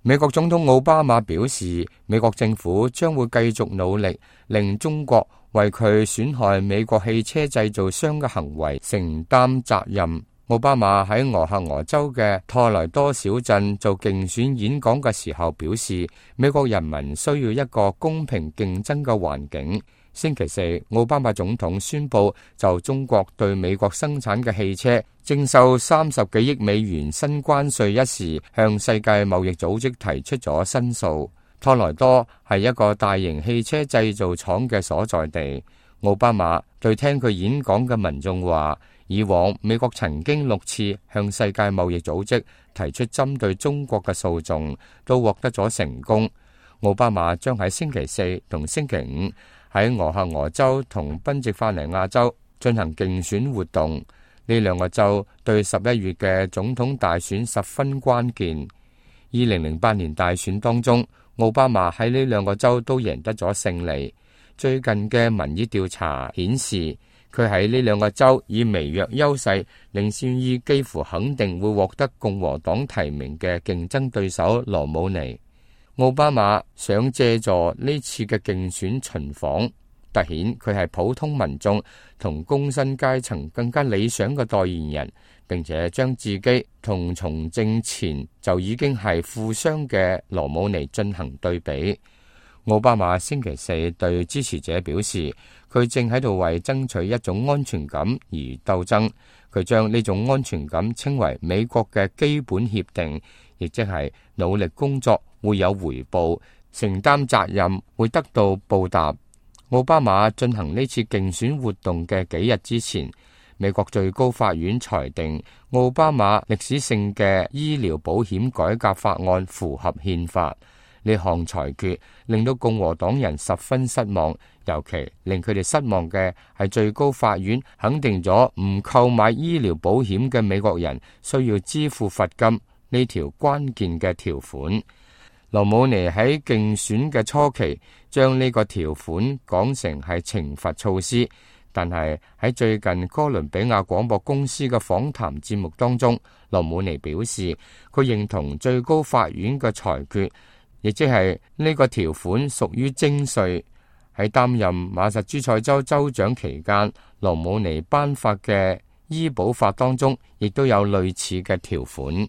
美國總統奧巴馬表示，美國政府將會繼續努力，令中國為佢損害美國汽車製造商嘅行為承擔責任。奧巴馬喺俄亥俄州嘅托萊多小鎮做競選演講嘅時候表示，美國人民需要一個公平競爭嘅環境。星期四，奧巴馬總統宣布就中國對美國生產嘅汽車徵收30幾億美元新關稅一事，向世界貿易組織提出咗申訴。托萊多係一個大型汽車製造廠嘅所在地。奧巴馬對聽佢演講嘅民眾話，以往美國曾經6次向世界貿易組織提出針對中國嘅訴訟，都獲得咗成功。奧巴馬將喺星期四同星期五喺俄亥俄州同賓夕法尼亞州進行競選活動，呢兩個州對11月嘅總統大選十分關鍵。2008年大選當中，奧巴馬喺呢兩個州都贏得咗勝利。最近嘅民意調查顯示，佢喺呢兩個州以微弱優勢領先於幾乎肯定會獲得共和黨提名嘅競爭對手羅姆尼。奧巴馬想借助呢次嘅競選巡訪，凸顯佢係普通民眾同工薪階層更加理想嘅代言人，並且將自己同從政前就已經係富商嘅羅姆尼進行對比。奧巴馬星期四對支持者表示，佢正喺度為爭取一種安全感而鬥爭。佢將呢種安全感稱為美國嘅基本協定，亦即係努力工作會有回報，承擔責任會得到報答。奧巴馬進行呢次競選活動嘅幾日之前，美國最高法院裁定奧巴馬歷史性嘅醫療保險改革法案符合憲法。呢項裁決令到共和黨人十分失望，尤其令佢哋失望嘅係最高法院肯定咗唔購買醫療保險嘅美國人需要支付罰金呢條關鍵嘅條款。羅姆尼喺競選嘅初期將呢個條款講成係懲罰措施，但係喺最近哥倫比亞廣播公司嘅訪談節目當中，羅姆尼表示佢認同最高法院嘅裁決，亦即係呢個條款屬於徵稅。喺擔任馬薩諸塞州州長期間，羅姆尼頒發嘅醫保法當中亦都有類似嘅條款。